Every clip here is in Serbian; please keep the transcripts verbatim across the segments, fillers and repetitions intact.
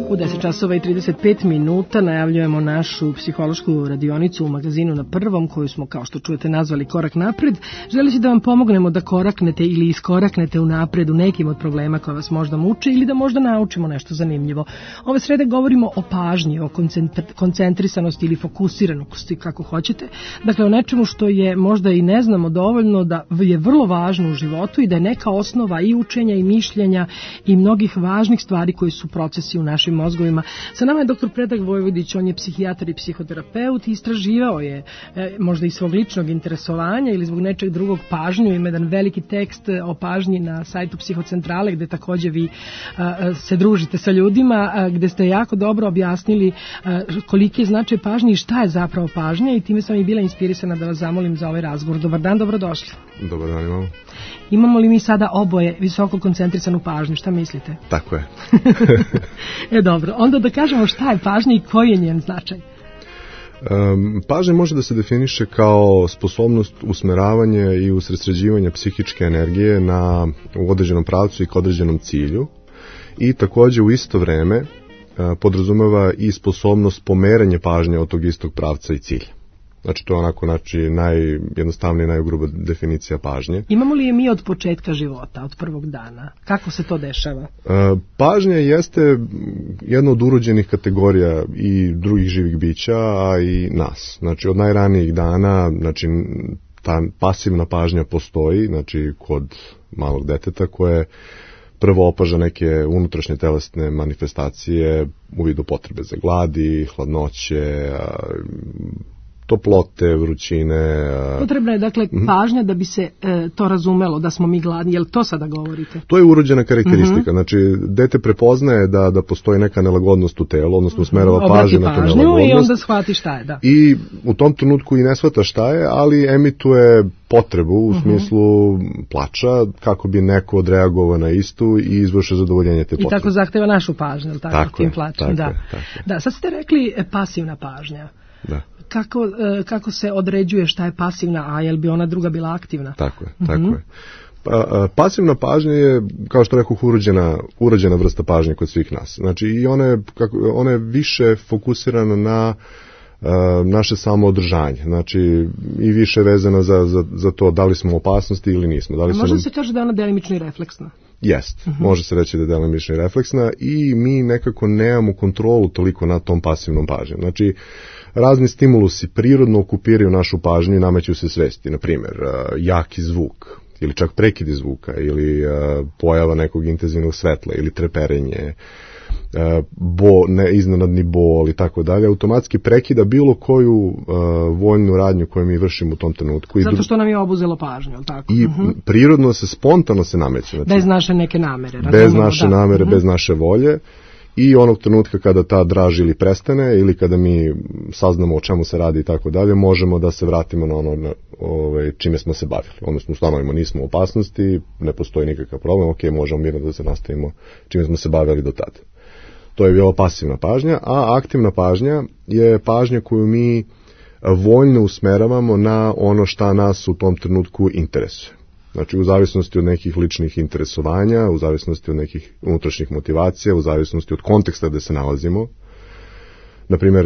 U deset časova i trideset pet minuta najavljujemo našu psihološku radionicu u magazinu Na prvom, koju smo, kao što čujete, nazvali Korak napred. Želeći da vam pomognemo da koraknete ili iskoraknete u napred u nekim od problema koja vas možda muče ili da možda naučimo nešto zanimljivo. Ove srede govorimo o pažnji, o koncentrisanosti ili fokusiranosti, kako hoćete. Dakle, o nečemu što je možda i ne znamo dovoljno, da je vrlo važno u životu i da je neka osnova i učenja i mišljenja i mnogih važnih stvari koji su procesi u našim mozgovima. Sa nama je doktor Predrag Vojvodić, on je psihijatar i psihoterapeut i istraživao je e, možda i svog ličnog interesovanja ili zbog nečeg drugog pažnju. Ima jedan veliki tekst o pažnji na sajtu Psihocentrale gde takođe vi a, se družite sa ljudima, a, gde ste jako dobro objasnili a, koliki je značaj pažnje i šta je zapravo pažnja, i time sam i bila inspirisana da vas zamolim za ovaj razgovor. Dobar dan, dobrodošli. Dobar dan, imamo. Imamo li mi sada oboje visoko koncentrisanu pažnju? Šta mislite? Tako je. E dobro, onda da kažemo šta je pažnja i koji je njen značaj. Um, pažnja može da se definiše kao sposobnost usmeravanja i usredsređivanja psihičke energije na, u određenom pravcu i k određenom cilju, i takođe u isto vreme uh, podrazumeva i sposobnost pomeranja pažnje od tog istog pravca i cilja. Znači, to je onako, znači, najjednostavnija i najgruba definicija pažnje. Imamo li je mi od početka života, od prvog dana? Kako se to dešava? E, pažnja jeste jedna od urođenih kategorija i drugih živih bića, a i nas. Znači, od najranijih dana, znači, ta pasivna pažnja postoji, znači, kod malog deteta koje prvo opaža neke unutrašnje telesne manifestacije u vidu potrebe za gladi, hladnoće, toplote, vrućine. Potrebna je, dakle, pažnja da bi se e, to razumelo, da smo mi gladni. Je li to sada govorite? To je urođena karakteristika. Uh-huh. Znači, dete prepoznaje da, da postoji neka nelagodnost u telu, odnosno usmerava pažnju na tu nelagodnost. I onda shvati šta je, da. I u tom trenutku i ne shvata šta je, ali emituje potrebu u uh-huh. smislu plača, kako bi neko odreagovao na istu i izvršio zadovoljenje te potrebe. I tako zahteva našu pažnju, tako, tako tim je, plačem. tako da. Je, tako je. Da, sad ste rekli pasivna pažnja. Da. Kako, kako se određuje šta je pasivna, a je li bi ona druga bila aktivna? Tako je, tako mm-hmm. je. Pa, pasivna pažnja je, kao što rekao, urođena, urođena vrsta pažnje kod svih nas. Znači, i ona je, kako, ona je više fokusirana na uh, naše samoodržanje. Znači, i više vezana za, za, za to da li smo u opasnosti ili nismo. Da li a može nam... se kaže da je ona delimično i refleksna? Jest, uh-huh. može se reći da je delimično i refleksna, i mi nekako nemamo kontrolu toliko nad tom pasivnom pažnjom. Znači, razni stimulusi prirodno okupiraju našu pažnju i nameću se svesti. Na primjer, jaki zvuk, ili čak prekidi zvuka, ili pojava nekog intenzivnog svetla, ili treperenje, bo, ne, iznenadni bol i tako dalje, automatski prekida bilo koju uh, voljnu radnju koju mi vršimo u tom trenutku. Zato što nam je obuzelo pažnju, ali tako? I uh-huh. prirodno se, spontano se nameće. Znači, bez naše neke namere. Bez naše da. namere, uh-huh. bez naše volje. I onog trenutka kada ta draž ili prestane, ili kada mi saznamo o čemu se radi i tako dalje, možemo da se vratimo na ono na, ove, čime smo se bavili. Odnosno, ustanovimo, nismo u opasnosti, ne postoji nikakav problem, ok, možemo mirno da se nastavimo čime smo se bavili do tada. To je bila pasivna pažnja, a aktivna pažnja je pažnja koju mi voljno usmeravamo na ono šta nas u tom trenutku interesuje. Znači, u zavisnosti od nekih ličnih interesovanja, u zavisnosti od nekih unutrašnjih motivacija, u zavisnosti od konteksta gde se nalazimo. Naprimjer,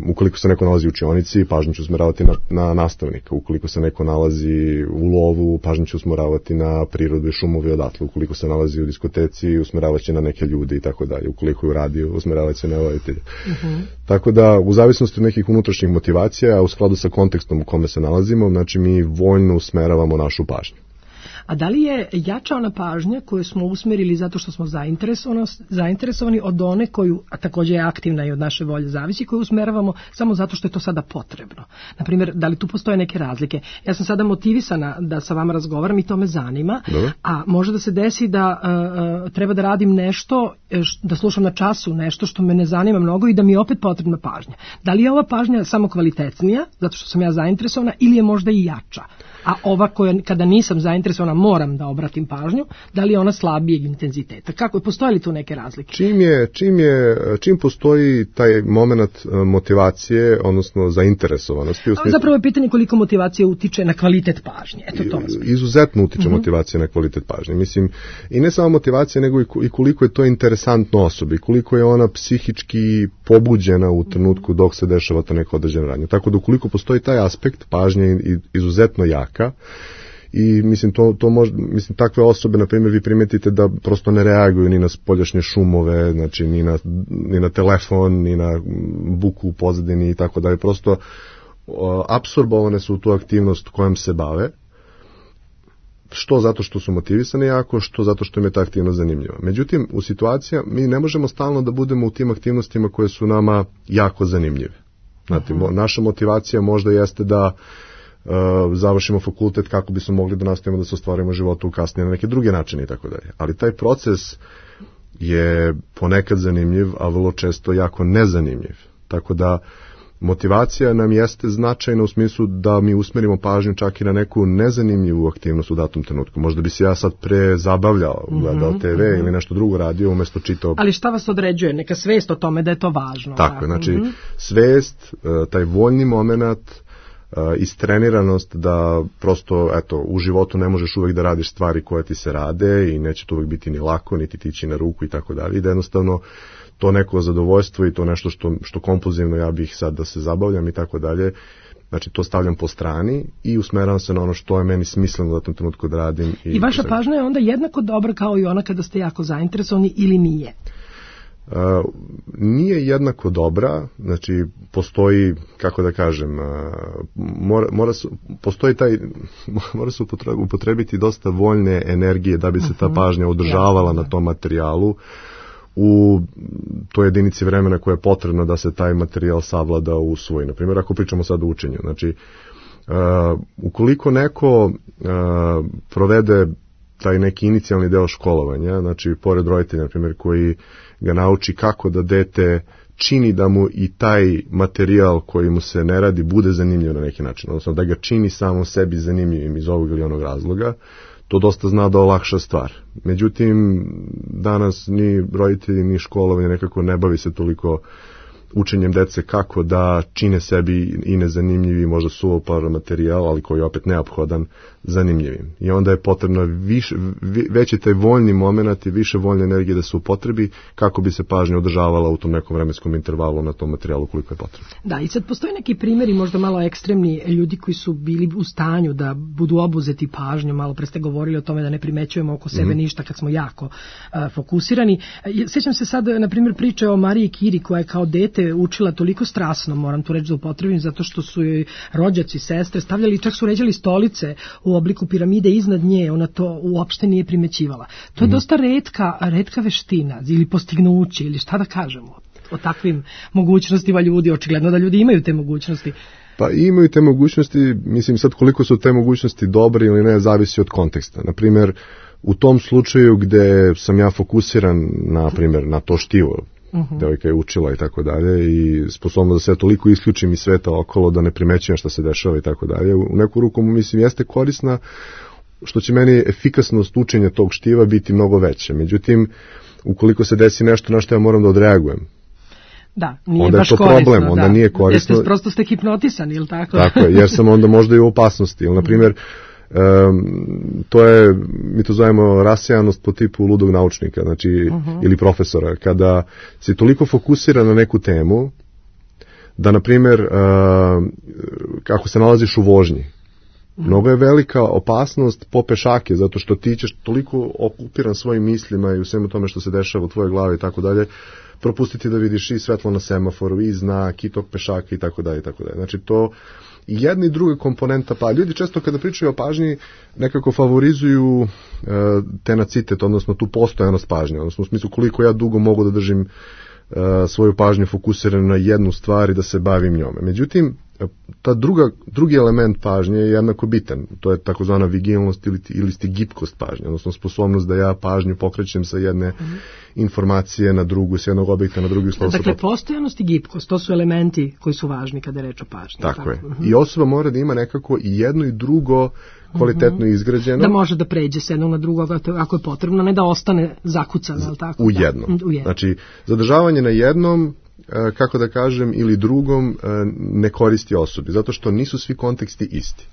ukoliko se neko nalazi u učionici, pažnju ću usmeravati na, na nastavnika. Ukoliko se neko nalazi u lovu, pažnju ću usmeravati na prirodu i šumovi odatle. Ukoliko se nalazi u diskoteci, usmeravaće na neke ljude i tako dalje. Ukoliko je u radiju, usmeravaće na voditelje. Uh-huh. Tako da, u zavisnosti od nekih unutrašnjih motivacija, a u skladu sa kontekstom u kome se nalazimo, znači mi voljno usmeravamo našu pažnju. A da li je jača ona pažnja koju smo usmerili zato što smo zainteresovani od one koju, a također je aktivna i od naše volje zavisi, koju usmeravamo samo zato što je to sada potrebno? Naprimjer, da li tu postoje neke razlike? Ja sam sada motivisana da sa vama razgovaram i to me zanima, Dobre. a može da se desi da uh, treba da radim nešto, da slušam na času nešto što me ne zanima mnogo i da mi je opet potrebna pažnja. Da li je ova pažnja samo kvalitetnija, zato što sam ja zainteresovana, ili je možda i jača? a ova koja kada nisam zainteresovana moram da obratim pažnju, da li je ona slabijeg intenziteta? Kako je, postoje li tu neke razlike? Čim je, čim je, čim postoji taj moment motivacije, odnosno zainteresovanosti. U smislu, zapravo je pitanje koliko motivacija utiče na kvalitet pažnje. Eto to. Izuzetno utiče uh-huh. motivacija na kvalitet pažnje. Mislim, i ne samo motivacija, nego i koliko je to interesantno osobi, koliko je ona psihički pobuđena u trenutku dok se dešava to neko određeno radnje. Tako da ukoliko postoji taj aspekt, pažnja je izuzetno jaka i mislim to to može, mislim takve osobe na primjer vi primetite da prosto ne reaguju ni na spoljašnje šumove, znači ni na ni na telefon, ni na buku u pozadini i tako dalje, prosto o, apsorbovane su u tu aktivnost kojom se bave. Što zato što su motivisani jako, što zato što im je ta aktivnost zanimljiva. Međutim, u situacija mi ne možemo stalno da budemo u tim aktivnostima koje su nama jako zanimljive. Znate, uh-huh. naša motivacija možda jeste da uh, završimo fakultet kako bismo mogli da nastavimo da se ostvarimo životu kasnije na neke druge načine i tako dalje. Ali taj proces je ponekad zanimljiv, a vrlo često jako nezanimljiv. Tako da motivacija nam jeste značajna u smislu da mi usmerimo pažnju čak i na neku nezanimljivu aktivnost u datom trenutku. Možda bi se ja sad pre zabavljao, gledao te ve mm-hmm. ili nešto drugo radio umjesto čitao. Ali šta vas određuje? Neka svest o tome da je to važno. Tako je, znači mm-hmm. svest, taj voljni moment, istreniranost da prosto, eto, u životu ne možeš uvek da radiš stvari koje ti se rade i neće to uvek biti ni lako, niti tići na ruku i tako dalje. I da jednostavno to neko zadovoljstvo i to nešto što, što kompulzivno ja bih sad da se zabavljam i tako dalje, znači to stavljam po strani i usmeravam se na ono što je meni smisleno da tom trenutku da radim. I, I vaša pažnja je onda jednako dobra kao i ona kada ste jako zainteresovani ili nije? Uh, nije jednako dobra, znači postoji, kako da kažem, uh, mora, mora su, postoji taj, mora se upotrebiti dosta voljne energije da bi se ta pažnja održavala na tom materijalu u toj jedinici vremena koja je potrebna da se taj materijal savlada u svoj. Naprimjer, ako pričamo sad o učenju, znači, uh, ukoliko neko uh, provede taj neki inicijalni deo školovanja, znači, pored roditelja, na primjer, koji ga nauči kako da dete čini da mu i taj materijal koji mu se ne radi bude zanimljiv na neki način, odnosno da ga čini samo sebi zanimljivim iz ovog ili onog razloga, to dosta zna da olakša stvar. Međutim, danas ni roditelji, ni školovanje nekako ne bavi se toliko učenjem dece kako da čine sebi i nezanimljivi, možda suvoparan materijal, ali koji je opet neophodan, zanimljivim. I onda je potrebno više, veći taj voljni moment i više voljne energije da se upotrebi kako bi se pažnja održavala u tom nekom vremenskom intervalu na tom materijalu koliko je potrebno. Da, i sad postoje neki primjeri možda malo ekstremni ljudi koji su bili u stanju da budu obuzeti pažnjom, malo pre ste govorili o tome da ne primećujemo oko sebe mm. ništa kad smo jako uh, fokusirani. Sjećam se sad, na primjer, priče o Mariji Kiri koja je kao dete učila toliko strasno, moram tu reći da upotrebim, zato što su joj rođaci, sestre stavljali, čak su ređali stolice u obliku piramide iznad nje, ona to uopšte nije primećivala. To je mm. dosta retka, retka veština ili postignuće ili šta da kažemo o takvim mogućnostima ljudi, očigledno da ljudi imaju te mogućnosti. Pa imaju te mogućnosti, mislim sad koliko su te mogućnosti dobre ili ne, zavisi od konteksta. Naprimjer, u tom slučaju gde sam ja fokusiran, na primjer, na to štivo, Uh-huh. devojka je učila i tako dalje i sposobno da se toliko isključim iz sveta okolo da ne primećujem šta se dešava i tako dalje. U neku ruku mislim jeste korisna, što će meni efikasnost učenja tog štiva biti mnogo veća. Međutim, ukoliko se desi nešto na što ja moram da odreagujem, da, nije onda baš je to korisno, problem, onda da. nije korisno. Jeste, prosto ste hipnotisani, ili tako? Tako je, jer sam onda možda i u opasnosti. Ili, na primjer, Um, to je, mi to zovemo rasijanost po tipu ludog naučnika, znači, uh-huh. ili profesora, kada si toliko fokusiran na neku temu, da, na primjer, uh, kako se nalaziš u vožnji, uh-huh. mnogo je velika opasnost po pešake, zato što ti ćeš toliko okupiran svojim mislima i u svemu tome što se dešava u tvojoj glavi i tako dalje, propustiti da vidiš i svetlo na semaforu, i znak, i tog pešaka i tako dalje i tako dalje. Znači, to i jedna i druga komponenta, pa ljudi često kada pričaju o pažnji nekako favorizuju uh, tenacitet, odnosno tu postojanost pažnje, odnosno u smislu koliko ja dugo mogu da držim uh, svoju pažnju fokusiranu na jednu stvar i da se bavim njome. Međutim, ta druga, drugi element pažnje je jednako bitan. To je takozvana vigilnost ili, ili sti gibkost pažnje, odnosno sposobnost da ja pažnju pokrećem sa jedne mm-hmm. informacije na drugu, s jednog objekta na drugi. Dakle, postojanost i gibkost, to su elementi koji su važni kada je reč o pažnji. Tako, tako je. Mm-hmm. I osoba mora da ima nekako i jedno i drugo kvalitetno mm-hmm. izgrađeno. Da može da pređe s jednog na drugo ako je potrebno, ne da ostane zakucana, ali tako? U jednom. Da. U jednom. Znači, zadržavanje na jednom, kako da kažem, ili drugom ne koristi osobi, zato što nisu svi konteksti isti.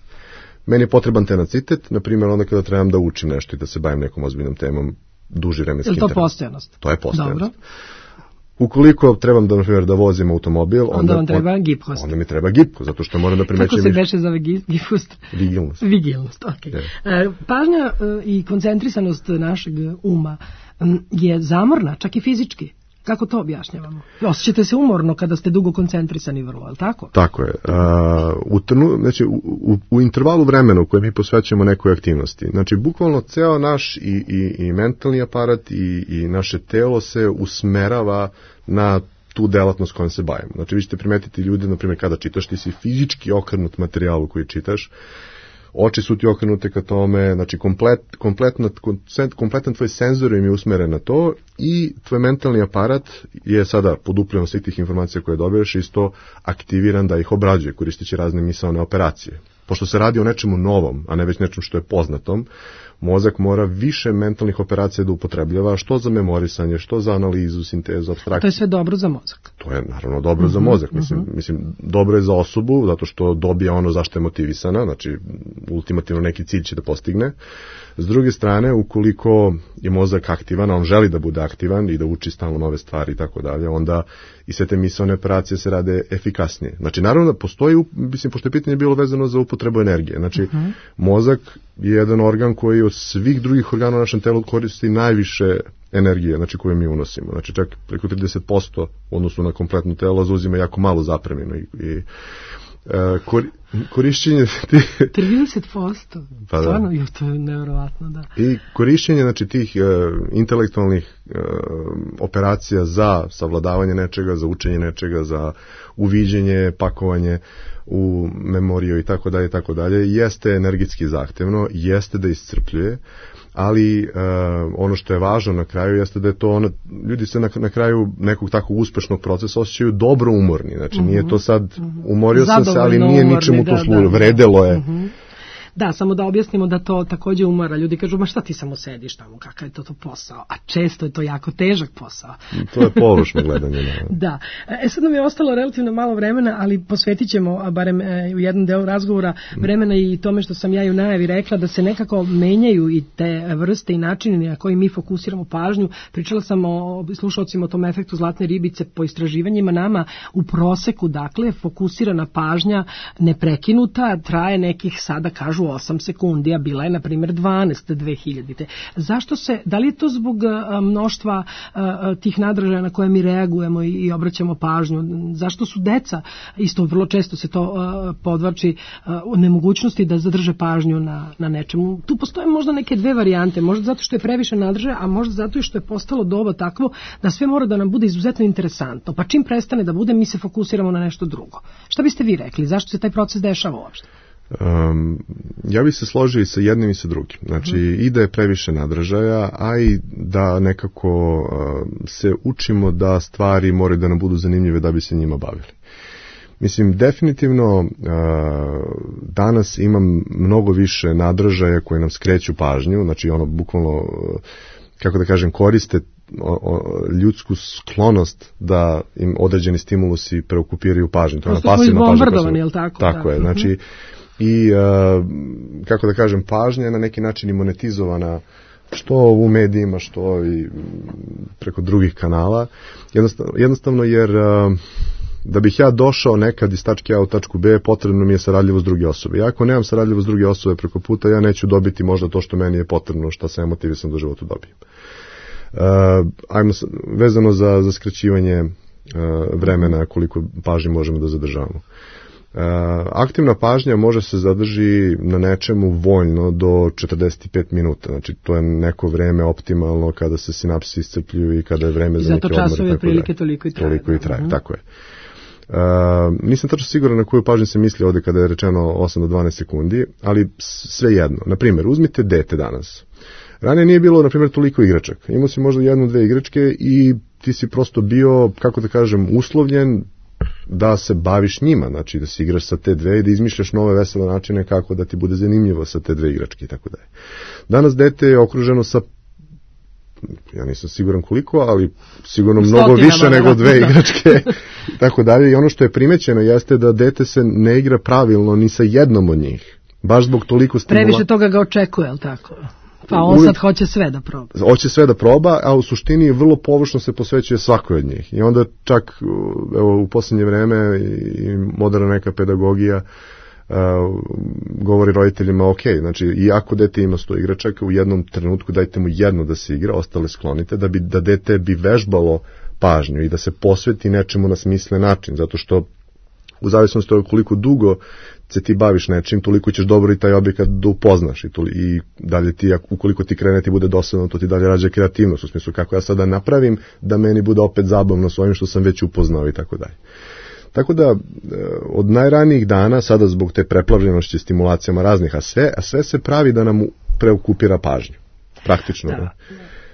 Meni je potreban tenacitet, na primjer, onda kada trebam da učim nešto i da se bavim nekom ozbiljnom temom duži vremenski interval. Je li to postojanost? To je postojanost. Dobro. Ukoliko trebam da, na primjer, da vozim automobil, onda, onda, on treba gibkost. Onda mi treba gibkost, zato što moram da primećem... Kako se beše zove gibkost? Vigilnost. Vigilnost, okej. Okay. Yeah. Pažnja i koncentrisanost našeg uma je zamorna, čak i fizički. Kako to objašnjavamo? Osjećate se umorno kada ste dugo koncentrisani vrlo, ali tako? Tako je. A, u, trnu, znači, u, u, u intervalu vremena u kojem mi posvećujemo nekoj aktivnosti, znači bukvalno ceo naš i, i, i mentalni aparat i, i naše telo se usmerava na tu delatnost kojom se bavimo. Znači vi ćete primetiti ljude, na primjer, kada čitaš, ti si fizički okrenut materijalu koji čitaš, oči su ti okrenute ka tome, znači komplet, kompletno, kompletan tvoj senzor im je usmeren na to i tvoj mentalni aparat je sada podupljen svih tih informacija koje dobiješ isto aktiviran da ih obrađuje koristeći razne misaone operacije. Pošto se radi o nečemu novom, a ne već nečemu što je poznatom, mozak mora više mentalnih operacija da upotrebljava, što za memorisanje, što za analizu, sintezu, apstrakciju. To je sve dobro za mozak. To je naravno dobro uh-huh, za mozak. Mislim, uh-huh. mislim, dobro je za osobu, zato što dobija ono zašto je motivisana, znači ultimativno neki cilj će da postigne. S druge strane, ukoliko je mozak aktivan, a on želi da bude aktivan i da uči stalno nove stvari i tako dalje, onda i sve te misaone operacije se rade efikasnije. Znači, naravno da postoji, mislim, pošto je pitanje bilo vezano za upotrebu energije. Znači, uh-huh. mozak je jedan organ koji od svih drugih organa u našem telu koristi najviše energije, znači koju mi unosimo. Znači, čak preko trideset posto u odnosu na kompletno telo zauzima jako malo zapreminu i, i Uh, kor, korišćenje tih... trideset posto? Pa da. Stvarno, jo, to je nevjerovatno, da. I korišćenje, znači, tih uh, intelektualnih uh, operacija za savladavanje nečega, za učenje nečega, za uviđenje, pakovanje u memoriju i tako dalje, tako dalje, jeste energetski zahtevno, jeste da iscrpljuje, ali uh, ono što je važno na kraju jeste da je to ono, ljudi se na, na kraju nekog takvog uspešnog procesa osjećaju dobro umorni, znači uh-huh. nije to sad umorio sam se, ali nije ničemu to služilo, vredelo je. Uh-huh. Da, samo da objasnimo da to takođe umora. Ljudi kažu, ma šta ti samo sediš tamo, kakav je to, to posao? A često je to jako težak posao. To je površno gledanje. Ne? Da. E sad nam je ostalo relativno malo vremena, ali posvetit ćemo, barem e, u jednom delu razgovora, vremena i tome što sam ja i u najavi rekla, da se nekako menjaju i te vrste i načini na koji mi fokusiramo pažnju. Pričala sam o slušalcima o tom efektu zlatne ribice po istraživanjima. Nama u proseku, dakle, fokusirana pažnja neprekinuta traje nekih, sada kažu, osam sekundi, a bila je, na primjer, dvanaest dve hiljadite. Zašto se, da li je to zbog mnoštva tih nadražaja na koje mi reagujemo i obraćamo pažnju? Zašto su deca, isto vrlo često se to podvlači, u nemogućnosti da zadrže pažnju na, na nečemu? Tu postoje možda neke dve varijante, možda zato što je previše nadražaja, a možda zato i što je postalo doba takvo da sve mora da nam bude izuzetno interesantno, pa čim prestane da bude, mi se fokusiramo na nešto drugo. Šta biste vi rekli? Zašto se taj proces dešava uopšte? Um, ja bih se složio i sa jednim i sa drugim. Znači, uh-huh. i da je previše nadražaja, a i da nekako uh, se učimo da stvari moraju da nam budu zanimljive da bi se njima bavili. Mislim, definitivno uh, danas imam mnogo više nadražaja koji nam skreću pažnju, znači ono bukvalno, kako da kažem, koriste O, o, ljudsku sklonost da im određeni stimulusi preokupiraju pažnju. To je pasivna pažnja. Je li tako? Tako da. je, znači i uh, kako da kažem, pažnja je na neki način i monetizovana što u medijima, što i preko drugih kanala. Jednostavno, jednostavno jer uh, da bih ja došao nekad iz tačke A u tačku B, potrebno mi je saradljivost druge osobe. I ako nemam saradljivost druge osobe preko puta, ja neću dobiti možda to što meni je potrebno, što sam motivisan da u životu dobijem. Uh, ajmo vezano za, za skraćivanje uh, vremena koliko pažnje možemo da zadržavamo. Uh, aktivna pažnja može se zadrži na nečemu voljno do četrdeset pet minuta, znači to je neko vreme optimalno kada se sinapsi iscrpljuju i kada je vreme za neke odmore. Zato časove prilike toliko i traje. Toliko i traje, uh-huh. tako je. Uh, nisam tačno siguran na koju pažnju se misli ovde kada je rečeno osam do dvanaest sekundi, ali sve jedno. Naprimjer, uzmite dete danas. Ranije nije bilo, na primjer, toliko igračaka. Imao si možda jednu, dve igračke i ti si prosto bio, kako da kažem, uslovljen da se baviš njima, znači da se igraš sa te dve i da izmišljaš nove vesele načine kako da ti bude zanimljivo sa te dve igračke i tako dalje. Danas dete je okruženo sa, ja nisam siguran koliko, ali sigurno mnogo Stotinama, više nego dve igračke i tako dalje. I ono što je primećeno jeste da dete se ne igra pravilno ni sa jednom od njih. Baš zbog toliko stimula. Previše toga ga očekuje, je li tako? Pa on sad hoće sve da proba. Hoće sve da proba, a u suštini vrlo površno se posvećuje svakoj od njih. I onda čak evo, u posljednje vreme i moderna neka pedagogija uh, govori roditeljima, ok, znači iako dete ima sto igračaka, u jednom trenutku dajte mu jedno da se igra, ostale sklonite, da bi da dete bi vežbalo pažnju i da se posveti nečemu na smislen način, zato što u zavisnosti od koliko dugo se ti baviš nečim, toliko ćeš dobro i taj objekat da upoznaš i, toli, i dalje ti, ukoliko ti krene ti bude dosadno, to ti dalje rađa kreativnost, u smislu kako ja sada napravim da meni bude opet zabavno s ovim što sam već upoznao i tako dalje. Tako da, od najranijih dana, sada zbog te preplavljenosti stimulacijama raznih, a sve, a sve se pravi da nam preokupira pažnju, praktično. Da. Da.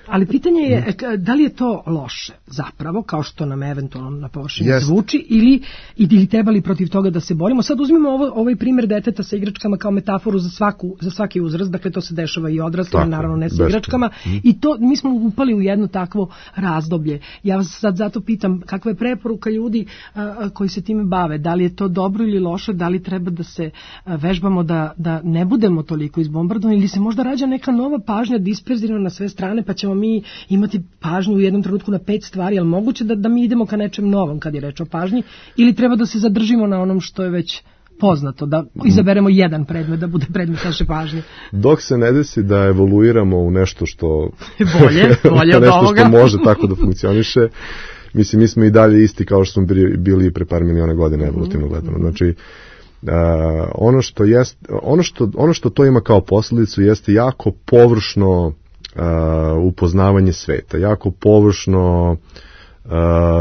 Ali pitanje je, da li je to loše zapravo, kao što nam eventualno na površini yes. zvuči, ili, ili treba li protiv toga da se borimo? Sad uzmimo ovo, ovaj primjer deteta sa igračkama kao metaforu za, svaku, za svaki uzrast, dakle to se dešava i odraslima, naravno ne sa igračkama, mm. i to mi smo upali u jedno takvo razdoblje. Ja vas sad zato pitam, kakva je preporuka ljudi a, a, koji se time bave? Da li je to dobro ili loše? Da li treba da se a, vežbamo da, da ne budemo toliko izbombardovani, ili se možda rađa neka nova pažnja disperzirana na sve strane, pa ćemo mi imati pažnju u jednom trenutku na pet stvari, ali moguće da, da mi idemo ka nečem novom kad je reč o pažnji, ili treba da se zadržimo na onom što je već poznato, da izaberemo jedan predmet da bude predmet naše pažnje. Dok se ne desi da evoluiramo u nešto što bolje, bolje od nešto ovoga. Što može tako da funkcioniše, mislim, mi smo i dalje isti kao što smo bili, bili pre par miliona godina evolutivno gledano. Znači, Uh, ono što jest, ono što, ono što to ima kao posljedicu jeste jako površno Uh, upoznavanje sveta, jako površno uh,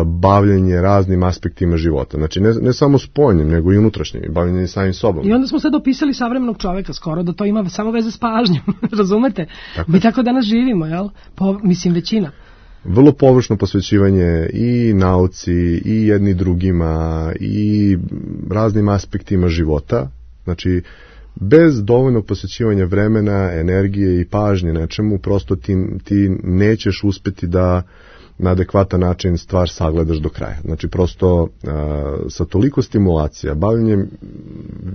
bavljenje raznim aspektima života. Znači, ne, ne samo spoljnim, nego i unutrašnjim, bavljenje samim sobom. I onda smo sad opisali savremenog čoveka skoro, da to ima samo veze s pažnjom, razumete? Tako. Mi tako danas živimo, jel? Po, mislim, većina. Vrlo površno posvećivanje i nauci, i jedni drugima, i raznim aspektima života. Znači, bez dovoljnog posvećivanja vremena, energije i pažnje nečemu, prosto ti, ti nećeš uspeti da na adekvatan način stvar sagledaš do kraja. Znači, prosto a, sa toliko stimulacija, bavljenjem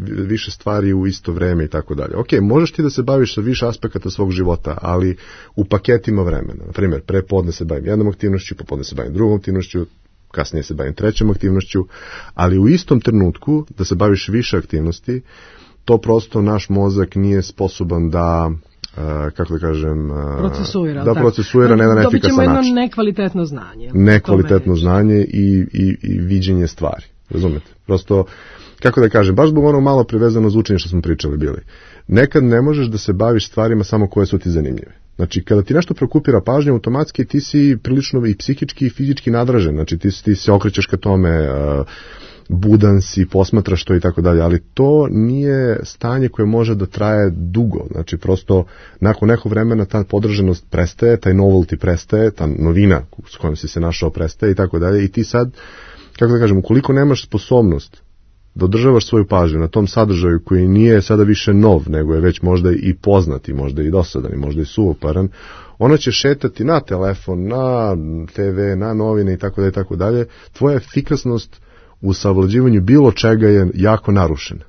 više stvari u isto vreme i tako dalje. Ok, možeš ti da se baviš sa više aspekata svog života, ali u paketima vremena. Na primjer, pre podne se bavim jednom aktivnošću, popodne se bavim drugom aktivnošću, kasnije se bavim trećom aktivnošću, ali u istom trenutku da se baviš više aktivnosti, to prosto naš mozak nije sposoban da, uh, kako da kažem, uh, procesuira, da procesuira na jedan efikasan način. Dobit ćemo jedno nekvalitetno znanje. Nekvalitetno znanje i, i, i viđenje stvari, razumete? Prosto, kako da kažem, baš zbog ono malo privezano za učenje što smo pričali bili. Nekad ne možeš da se baviš stvarima samo koje su ti zanimljive. Znači, kada ti nešto prokupira pažnju, automatski ti si prilično i psihički i fizički nadražen. Znači, ti, ti se okrećeš ka tome, uh, budan si, posmatraš to i tako dalje, ali to nije stanje koje može da traje dugo. Znači, prosto, nakon nekog vremena ta podržanost prestaje, taj novelty prestaje, ta novina s kojom si se našao prestaje i tako dalje. I ti sad, kako da kažem, ukoliko nemaš sposobnost da održavaš svoju pažnju na tom sadržaju koji nije sada više nov, nego je već možda i poznati, možda i dosadan, možda i suvoparan, ona će šetati na telefon, na te ve, na novine i tako dalje i tako dalje. Tvoja efikasnost u savlađivanju bilo čega je jako narušena.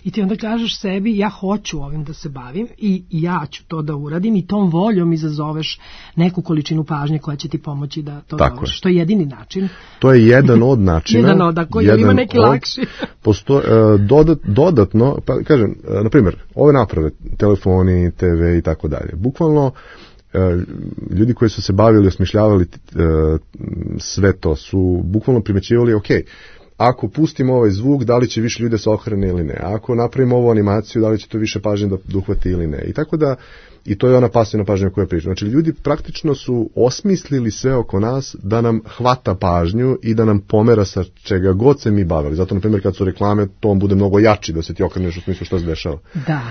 I ti onda kažeš sebi, ja hoću ovim da se bavim i ja ću to da uradim, i tom voljom izazoveš neku količinu pažnje koja će ti pomoći da to dovršiš. Što je jedini način. To je jedan od načina. jedan od, ako ima neki od, lakši. Posto, uh, dodat, dodatno, pa kažem, uh, na primjer, ove naprave, telefoni, te ve i tako dalje, bukvalno uh, ljudi koji su se bavili, osmišljavali uh, sve to, su bukvalno primećivali, ok, ako pustimo ovaj zvuk, da li će više ljude se okrene ili ne, ako napravimo ovu animaciju, da li će to više pažnje da uhvati ili ne. I tako da, i to je ona pasivna pažnja koja priča. Znači, ljudi praktično su osmislili sve oko nas da nam hvata pažnju i da nam pomera sa čega god se mi bavili. Zato, na primjer, kad su reklame, to on bude mnogo jači da se ti okreneš u smislu šta se dešava. Da.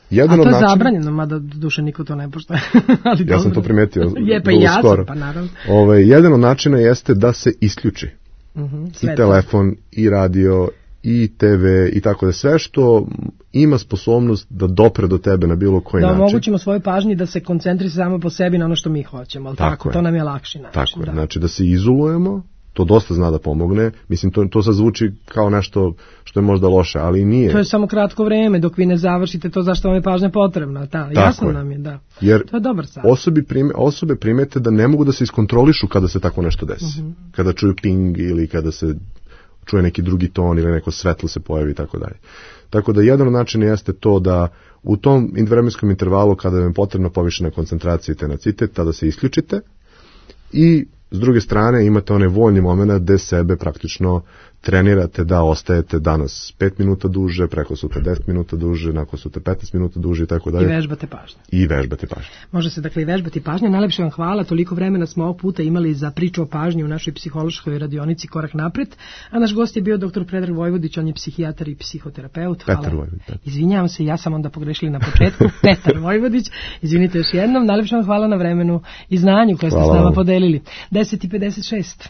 Jedan A to je načina, zabranjeno, mada duše niko to ne pošta. Ali ja dobro. sam to primetio. Je, pa i ja sam, pa naravno. Ove, jedan od načina jeste da se isključi. Uh-huh, I telefon, i radio, i te ve, i tako da sve što ima sposobnost da dopre do tebe na bilo koji da način. Da omogućimo svojoj pažnji da se koncentriše samo po sebi na ono što mi hoćemo, ali tako, tako to nam je lakši način. Tako je, da. znači da se izolujemo, to dosta zna da pomogne, mislim to, to sad zvuči kao nešto što je možda loše, ali nije. To je samo kratko vreme, dok vi ne završite to zašto vam je pažnja potrebna, da, jasno je. Nam je, da. Jer to je dobar sad. Osobi prime, osobe primete da ne mogu da se iskontrolišu kada se tako nešto desi, uh-huh. kada čuju ping ili kada se čuje neki drugi ton ili neko svetlo se pojavi i tako dalje. Tako da jedan od načina jeste to da u tom vremenskom intervalu kada vam je potrebna povišena koncentracija i tenacitet, tada se isključite i s druge strane imate onaj voljni moment gde sebe praktično trenirate da ostajete danas pet minuta duže, preko sutra deset minuta duže, nakon sutra petnaest minuta duže i tako dalje. I vežbate pažnju. I vežbate pažnju. Može se dakle i vežbati pažnju. Najlepše vam hvala, toliko vremena smo ovog puta imali za priču o pažnji u našoj psihološkoj radionici Korak napred, a naš gost je bio doktor Predrag Vojvodić, on je psihijatar i psihoterapeut. Hvala. Petar Vojvodić. Izvinjavam se, ja sam onda pogrešili na početku. Petar Vojvodić, izvinite još jednom. Najlepše vam hvala na vremenu i znanju koje ste s nama podelili. deset i pedeset šest